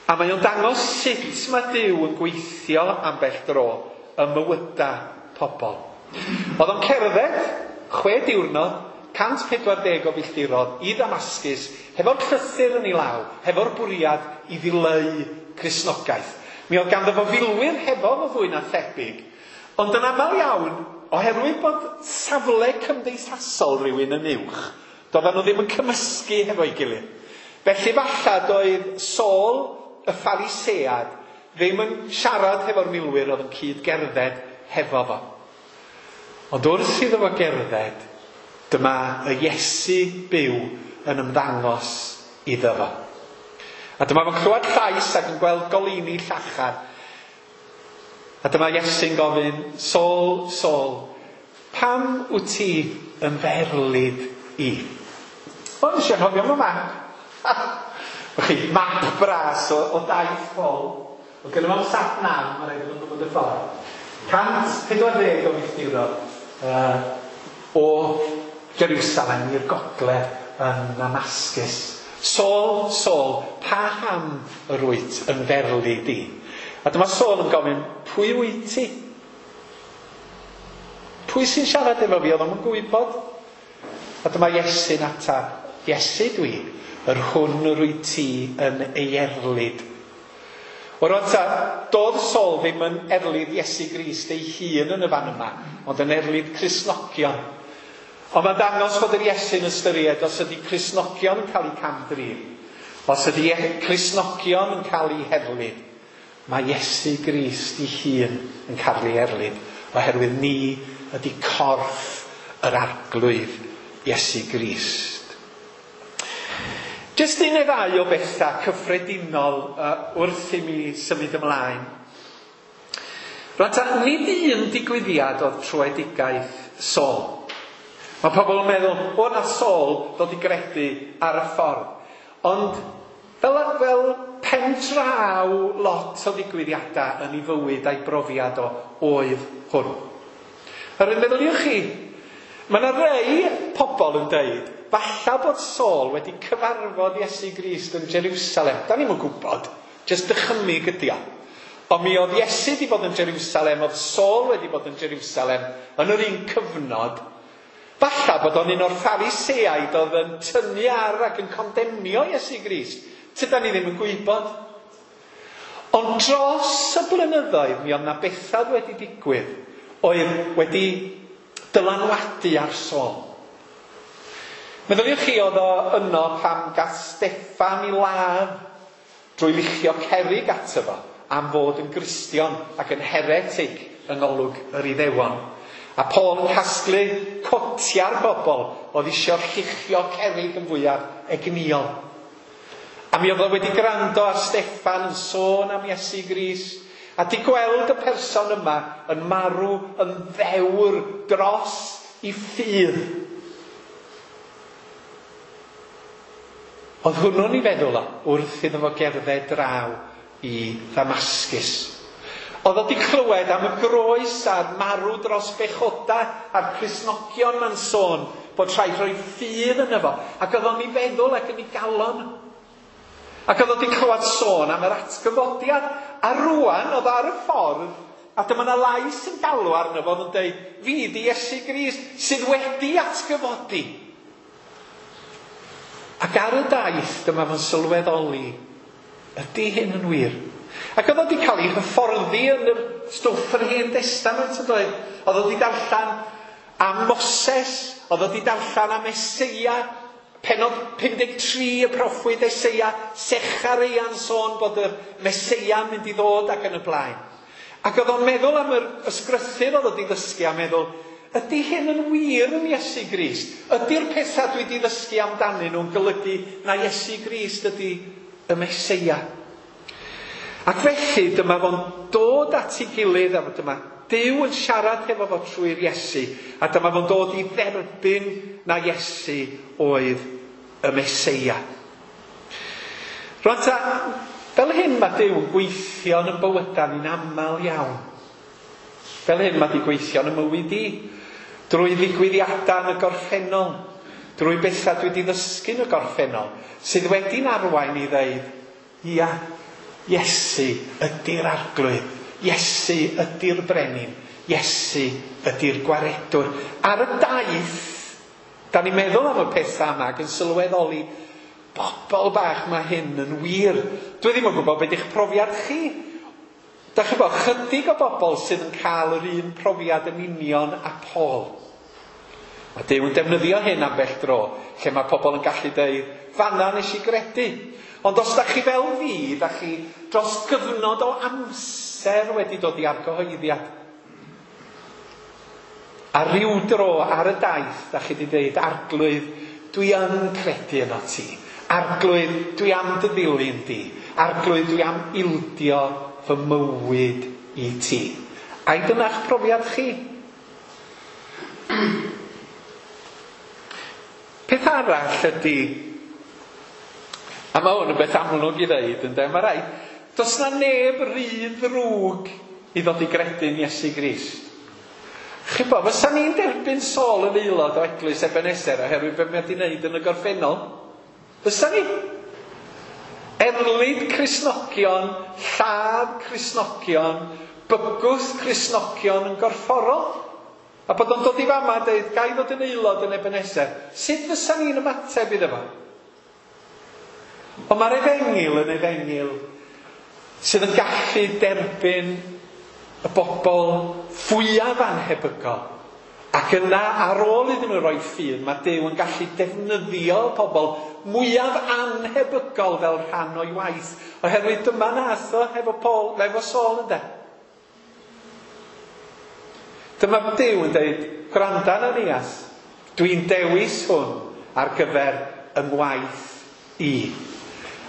A mae o'n dangos sut mae Duw yn gweithio ambell dro ym mywydau pobl. Oedd o'n cerdded 6 diwrnod, 140 o filltiroedd i Ddamascus, hefo'r llythyr yn ei law, hefo'r bwriad i ddileu Cristnogaeth. Mi oedd ganddo fo filwyr hefo fo fwy na thebyg, ond yn aml iawn, oherwydd bod safle cymdeithasol rhywun yn uwch, doedden nhw ddim yn cymysgu hefo'i gilydd. Felly falla doedd Saul y Pharisead ddim yn siarad hefo'r milwyr oedd yn cyd-gerdded hefo fo. Ond wrth iddo fo gerdded, dyma y Iesu byw yn ymddangos iddo fo. A dyma fo'n clywed llais ac yn gweld goleuni llachar. A dyma Iesu'n gofyn, Saul, Saul, pam wyt ti yn f'erlid i? O, nes i anghofio am y map. Chi, map bras o daith Paul. O gynno fo'n sat nav, mae rhaid iddo fo gwybod y ffordd. 140 o filltiroedd o Jerusalem i'r gogledd yn Damascus. Saul, Saul, paham yr wyt yn f'erlid i? A dyma Saul yn gofyn, pwy wyt ti? Pwy sy'n siarad efo fi? Oedd o'm yn gwybod. A dyma Iesu'n atab, Iesu dwi, yr hwn yr wyt ti yn ei erlid. O rwan ta, doedd Saul ddim yn erlid Iesu Grist ei hun yn y fan yma, ond yn erlid Cristnogion. Ond mae'n dangos fod yr Iesu'n ystyried os ydy Cristnogion yn cael eu cam-drin, os ydy Cristnogion yn cael eu herlid, mae Iesu Grist ei hun yn cael ei erlid, oherwydd ni ydy corff yr Arglwydd Iesu Grist. Jyst un neu ddau o bethau cyffredinol wrth i mi symud ymlaen. Rwan ta, nid un digwyddiad oedd troedigaeth Saul. Mae pobl yn meddwl, o na Saul ddod i gredu ar y ffordd. Ond fel pen draw lot o ddigwyddiadau yn ei fywyd a'i brofiad o oedd hwn. Yr un meddyliwch chi, Mae yna rei pobl yn deud, falla bod Saul wedi cyfarfod Iesu Grist yn Jerusalem. Da ni'm yn gwybod, jyst dychymyg ydi o. Ond mi oedd Iesu wedi bod yn Jerusalem, oedd Saul wedi bod yn Jerusalem yn yr un cyfnod. Falla bod o'n un o'r Phariseaid oedd yn tynnu ar ac yn condemnio Iesu Grist. Tydan ni ddim yn gwybod. Ond dros y blynyddoedd mi oedd 'na bethau wedi digwydd oedd wedi dylanwadu ar Saul. Meddyliwch chi oedd o yno pan gath Steffan i ladd drwy luchio cerrig ato fo am fod yn Gristion ac yn heretic yng ngolwg yr Iddewon. A Paul yn casglu cotia'r bobl oedd isio lluchio cerrig yn fwyaf egnïol. A mi oedd o wedi gwrando ar Steffan yn sôn am Iesu Grist a di gweld y person yma yn marw yn ddewr dros i ffydd. Oedd hwnnw'n ei feddwl o wrth iddo fo gerdded draw i Ddamascus. Oedd o di clywed am y groes a'r marw dros bechoda a'r Cristnogion ma'n sôn bod rhaid rhoi ffydd yno fo. Ac oedd o'n ei feddwl ac yn ei galon. Ac oedd o di clywed sôn am yr atgyfodiad. A rwan oedd ar y ffordd a dyma 'na lais yn galw arno fo oedd yn deud, fi di Iesu Grist sydd wedi atgyfodi. Ac ar y daith dyma fo'n sylweddoli, ydy hyn yn wir? Ac oedd o wedi cael ei hyfforddi yn yr stwff yr Hen Destament yn doedd? Oedd o wedi darllen am Moses, oedd o wedi darllen am Eseia, pennod 53 y proffwyd Eseia, Sechareia'n sôn bod y Meseia'n mynd i ddod ac yn y blaen. Ac oedd o'n meddwl am yr ysgrythur oedd o wedi ddysgu a meddwl, ydy hyn yn wir yn Iesu Grist? Ydy'r pethau dwi wedi ddysgu amdanyn nhw'n golygu na Iesu Grist ydy y Meseia? Ac felly dyma fo'n dod at ei gilydd a dyma Duw yn siarad hefo fo trwy'r Iesu a dyma fo'n dod i dderbyn na Iesu oedd y Meseia. Rwan ta, fel hyn mae Duw yn gweithio yn y bywydau ni'n aml iawn. Fel hyn mae di gweithio yn y mywyd i. Drwy ddigwyddiadau yn y gorffennol. Drwy bethau dwi wedi ddysgu yn y gorffennol. Sydd wedi'n arwain i ddeud, ia, Iesu ydy'r Arglwydd. Iesu ydy'r Brenin. Iesu ydy'r Gwaredwr. Ar y daith, da ni'n meddwl am y pethau yma ac yn sylweddoli, bobl bach mae hyn yn wir. Dwi ddim yn gwybod beth ydych profiad chi. Da chi'n gwybod, chydig o bobl sydd yn cael yr un profiad yn union â Paul. Mae Duw yn defnyddio hyn ambell dro, lle mae pobl yn gallu deud, fanna nes i gredu. Ond os da chi fel fi, da chi dros gyfnod o amser wedi dod i argyhoeddiad. A ryw dro ar y daith, da chi wedi dweud, Arglwydd, dwi yn credu yno ti. Arglwydd, dwi am dy ddilyn di. Arglwydd, dwi am ildio fy mywyd i ti. Ai dyna'ch profiad chi? Peth arall ydy, a mae hwn yn beth amlwg i ddeud, ynde, mae rhaid, does na neb rhy ddrwg i ddod i gredu'n Iesu Grist. Chi'n bo, fysa ni'n derbyn Saul yn aelod o Eglwys Ebenezer oherwydd beth mae wedi wneud yn y gorffennol? Fysa ni? Erlid Cristnogion, lladd Cristnogion, bygwth Cristnogion yn gorfforol. A bod o'n dod i fama a dweud, ga i ddod yn aelod yn Ebenezer. Sut fysa ni'n ymateb iddo fo? Ond mae'r efengyl yn efengyl sydd yn gallu derbyn y bobl fwyaf anhebygol. Ac yna, ar ôl iddyn nhw roi ffydd, mae Duw yn gallu defnyddio pobl mwyaf anhebygol fel rhan o'i waith. Oherwydd dyma nath o hefo Paul, efo Saul ynde. Dyma Duw yn dweud, gwranda Ananias, dwi'n dewis hwn ar gyfer y ngwaith i.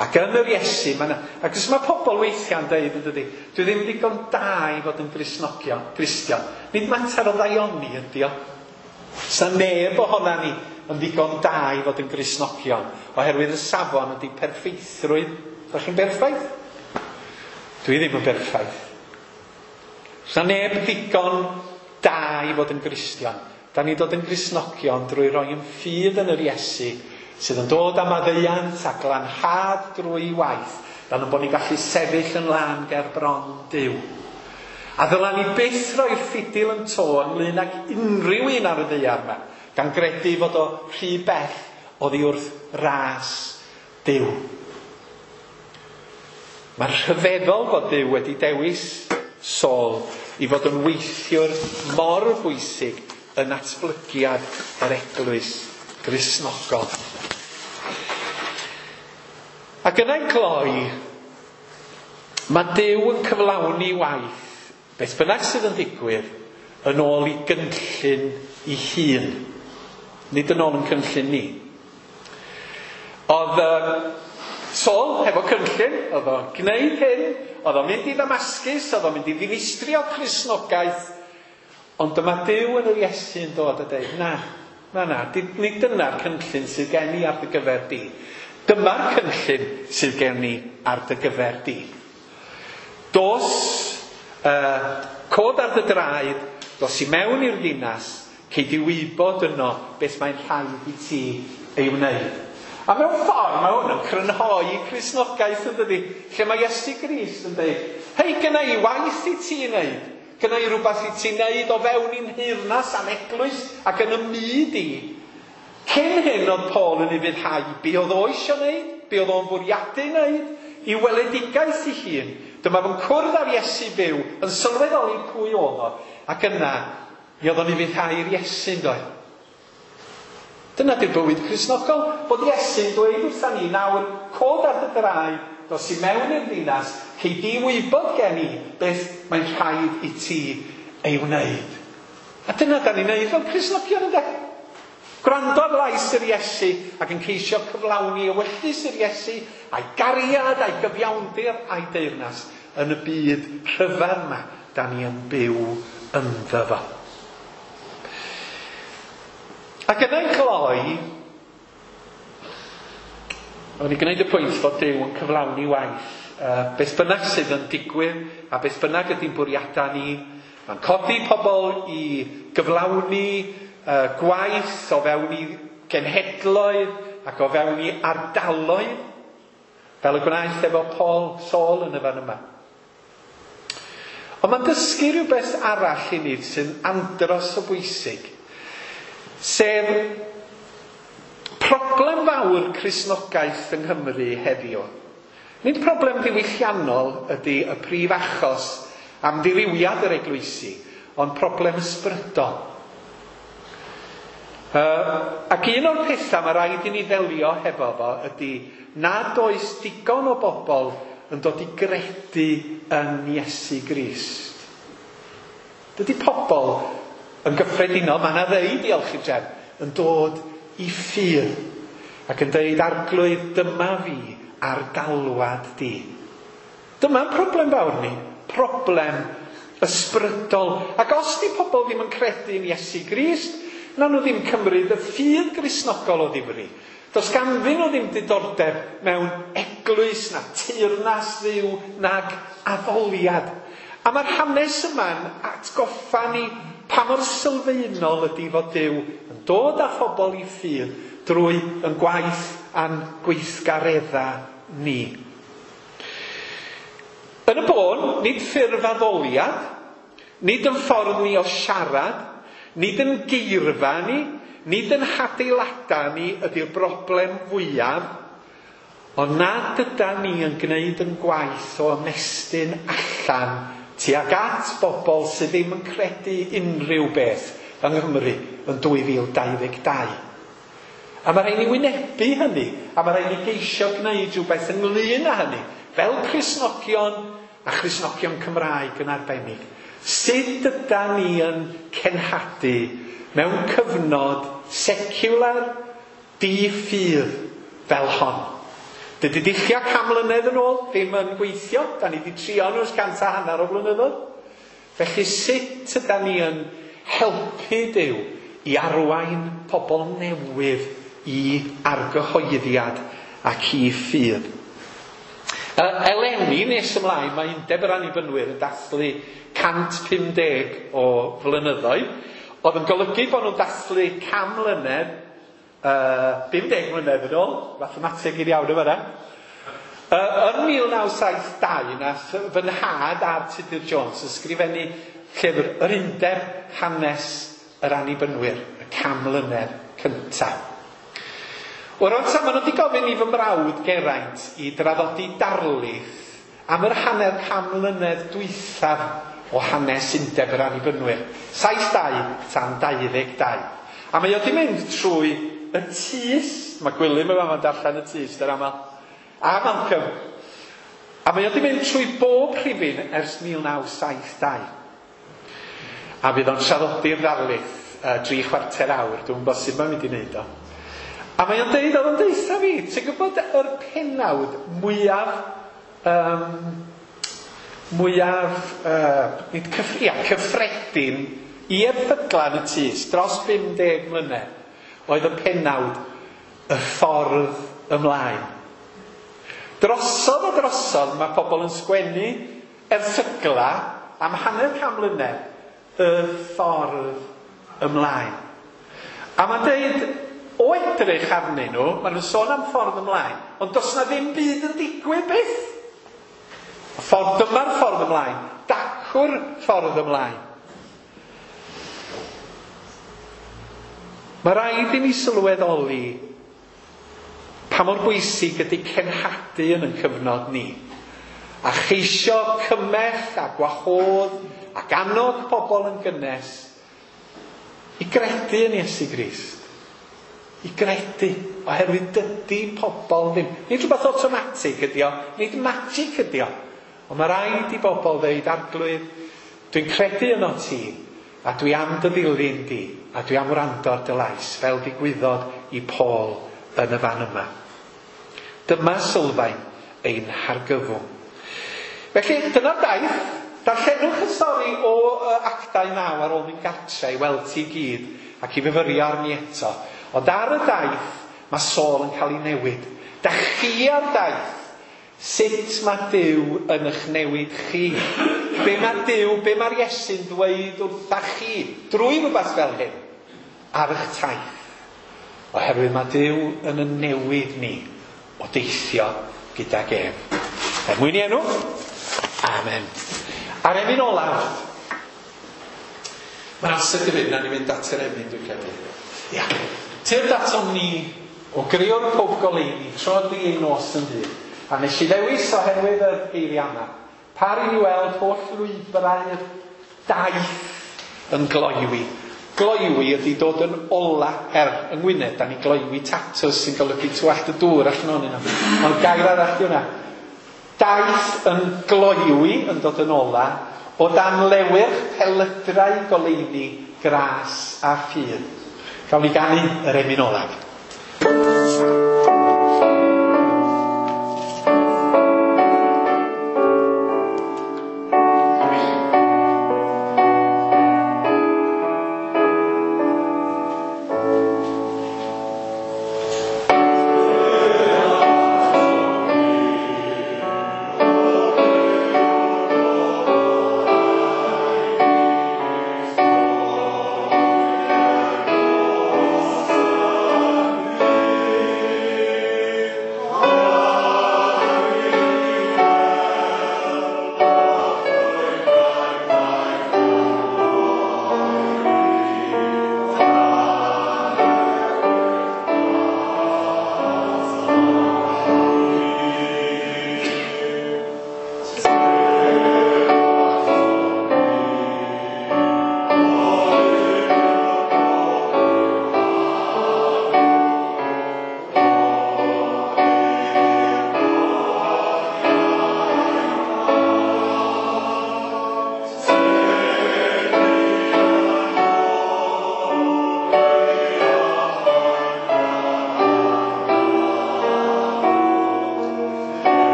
Ac yn yr Iesu, mae yna, ac os mae pobl weithiau'n dweud yn dydy, dwi ddim ddigon da i fod yn Gristnogion, Gristion. Nid mater o ddaioni ydy o. Sa neb ohona ni yn ddigon da i fod yn Gristnogion, oherwydd y safon ydy perffeithrwydd. Ydych chi'n berffaith? Dwi ddim yn berffaith. Sa neb ddigon da i fod yn Gristion. Da ni'n dod yn Gristnogion drwy roi yn ffydd yn yr Iesu sydd yn dod am maddeuant a glanhad drwy waith, fel yn bod ni'n gallu sefyll yn lân ger bron Duw. A ddyla ni byth roi'r ffidil yn to ynglyn ag unrhyw un ar y ddaear yma, gan gredu fod o rhy bell oddi wrth ras Duw. Mae'n rhyfeddol bod Duw wedi dewis Saul i fod yn weithiwr mor bwysig yn natblygiad yr eglwys Gristnogol. Ac yna i gloi, mae Duw yn cyflawni waith, beth bynnag sydd yn digwydd, yn ôl i gynllun ei hun. Nid yn ôl yn cynllun ni. Oedd Saul hefo cynllun, oedd o'n gwneud hyn, oedd o'n mynd i Ddamascus, oedd o'n mynd i ddinistrio Cristnogaeth, ond dyma Duw yn yr Iesu yn dod a dweud, na, na, na, nid dyna'r cynllun sydd gen i ar dy gyfer di. Dyma'r cynllun sydd gen i ar dy gyfer di. Dos, cod ar dy draed, dos i mewn i'r ddinas, cei di wybod yno beth mae'n rhaid i ti ei wneud. A mewn ffordd mae hwn yn crynhoi Cristnogaeth yn dydi, lle mae Iesu Grist yn dweud, hei, gynna i waith i ti wneud, gynna i rhywbeth i ti wneud o fewn i'n nheyrnas a'n eglwys ac yn y myd i. Cyn hyn oedd Paul yn ufuddhau be oedd o eisiau wneud, be oedd o'n bwriadu wneud, i weledigaeth ei hun. Dyma fo'n cwrdd â'r Iesu byw, yn sylweddoli pwy oedd o, ac yna mi oedd o'n ufuddhau i'r Iesu yn doedd. Dyna di'r bywyd Cristnogol, bod Iesu'n dweud wrtha ni nawr, cod ar dy draed, dos i mewn i'r ddinas, cei di wybod gen i beth mae'n rhaid i ti ei wneud. A dyna da ni'n neud fel Cristnogion ynde? Gwrando ar lais yr Iesu ac yn ceisio cyflawni ewyllys yr Iesu, a'i gariad, a'i gyfiawnder, a'i deyrnas yn y byd rhyfedd yma da ni yn byw ynddo fo. Ac yna i gloi, o'n i gwneud y pwynt fod Duw yn cyflawni waith. Beth bynnag sydd yn digwydd a beth bynnag ydy'n bwriadau ni, mae'n codi pobl i gyflawni gwaith o fewn i genhedloedd ac o fewn i ardaloedd, fel y gwnaeth efo Paul Saul yn y fan yma. Ond mae'n dysgu rhywbeth arall i ni sy'n andros o bwysig, sef problem fawr Cristnogaeth yng Nghymru heddiw. Nid problem ddiwylliannol ydy y prif achos am ddirywiad yr eglwysi, ond problem ysbrydol. Ac un o'r pethau mae rhaid i ni ddelio hefo fo ydy nad oes digon o bobl yn dod i gredu yn Iesu Grist. Dydy pobl yn gyffredinol, mae yna ddeu, diolch i'r drefn, yn dod i ffydd ac yn dweud, Arglwydd, dyma fi ar galwad di. Dyma'n problem fawr ni, problem ysbrydol. Ac os di pobl ddim yn credu yn Iesu Grist, na nhw ddim cymryd y ffydd Gristnogol o ddifri. Does ganddyn nhw ddim diddordeb mewn eglwys na teyrnas Dduw nag addoliad. A mae'r hanes yma'n atgoffa ni pa mor sylfaenol ydy fod Duw yn dod â phobl i ffydd drwy yn gwaith a'n gweithgaredda ni. Yn y bôn, nid ffurf addoliad, nid yn ffordd ni o siarad, nid yn geirfa ni, nid yn hadeilada ni ydy'r broblem fwyaf, ond nad yda ni yn gwneud yn gwaith o ymestyn allan tuag at bobl sydd ddim yn credu unrhyw beth yng Nghymru yn 2022. A mae rhaid ni wynebu hynny, a mae rhaid ni geisio gwneud rhywbeth ynglyn â hynny, fel Cristnogion a Christnogion Cymraeg yn arbennig. Sut yda ni yn cenhadu mewn cyfnod secular di-ffydd fel hon? Dydy dulliau 100 mlynedd yn ôl ddim yn gweithio. Da ni wedi trio nhw ers 150 o blynyddoedd. Felly sut yda ni yn helpu Duw i arwain pobl newydd i argyhoeddiad ac i ffydd? Eleni nes ymlaen mae Undeb yr Annibynwyr yn dathlu 150 o flynyddoedd, Oedd yn golygu bod nhw'n dathlu 100 mlynedd, 50 mlynedd yn ôl, mathemateg i'r iawn yma. Yn 1972, nath fy nhad a'r Tudur Jones ysgrifennu llyfr Yr Undeb Hanes yr Annibynwyr, y 100 mlynedd cyntaf. O'r amser maen nhw wedi gofyn i fy mrawd Geraint i draddodi darlith am yr hanner 100 mlynedd dwythaf o hanes Undeb yr Annibynwyr, 72 tan 22. A mae o wedi mynd trwy y tys, mae Gwilym yma ma'n darllen y tys yr aml, a Malcolm. A mae o wedi mynd trwy bob rhifyn ers 1972. A fydd o'n traddodi'r ddarlith 3/4 awr, dwi'n gwybod sut mae'n mynd i wneud o. A mae o'n deud, oedd o'n deutha fi, ti'n gwybod yr penawd mwyaf cyffredin i erthygla yn y tys dros 50 mlynedd oedd y penawd y ffordd ymlaen. Drosodd a drosodd mae pobl yn sgwennu erthygla am 150 mlynedd y ffordd ymlaen. A mae'n deud, o edrych arnyn nhw, maen nhw'n sôn am ffordd ymlaen, ond does na ddim byd yn digwydd byth. Y ffordd, dyma'r ffordd ymlaen, dacw'r ffordd ymlaen. Mae rhaid i ni sylweddoli pa mor bwysig ydy cenhadu yn ein cyfnod ni. A cheisio cymell a gwahodd ac annog pobl yn gynnes i gredu yn Iesu Grist. I gredu, oherwydd dydy pobl ddim. Nid rhywbeth automatic ydy o, nid magic ydy o. Ond mae rhaid i bobl ddeud, Arglwydd, dwi'n credu yno ti, a dwi am dy ddilyn di, a dwi am wrando ar dy lais, fel digwyddodd i Paul yn y fan yma. Dyma sylfaen ein hargyfwng. Felly, dyna'r daith. Darllenwch y stori o Actau 9 ar ôl mynd gartre i weld ti gyd ac i fyfyrio arni eto. Ond ar y daith, mae Saul yn cael ei newid. Da chi ar daith, sut mae Duw yn eich newid chi? Be mae Duw, be mae'r Iesu'n dweud wrtha chi drwy rhywbeth fel hyn ar eich taith? Oherwydd mae Duw yn y newid ni o deithio gydag ef. Er mwyn i enw, amen. A'r emyn olaf. Mae'n amser gyfyd, na ni'n mynd at yr emyn, dwi'n credu. Ia. Tyrd atom ni o greo'r pob goleuni, tro di ein nos yn ddydd. A nes i ddewis oherwydd yr geiriau yma. Par i ni weld holl lwybrau'r daith yn gloywi. Gloywi ydy dod yn ola, yng Ngwynedd, da ni gloywi tatws sy'n golygu tywallt y dŵr allan ohonyn nhw. Ond gair arall di hwnna. Daith yn gloywi yn dod yn ola, o dan lewyrch pelydrau goleuni, gras a ffydd. Gawn ni ganu yr emyn olaf. Amen.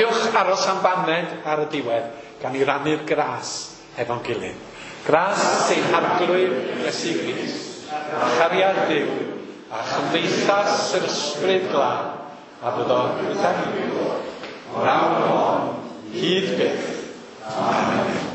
Cofiwch aros am baned ar y diwedd gan i rannu'r gras efo'n gilydd. Gras ein Harglwydd Iesu Grist, a chariad Duw, a chymdeithas yr Ysbryd Glân, a fyddo gyda ni. O'r awr hon, hyd byth. Amen.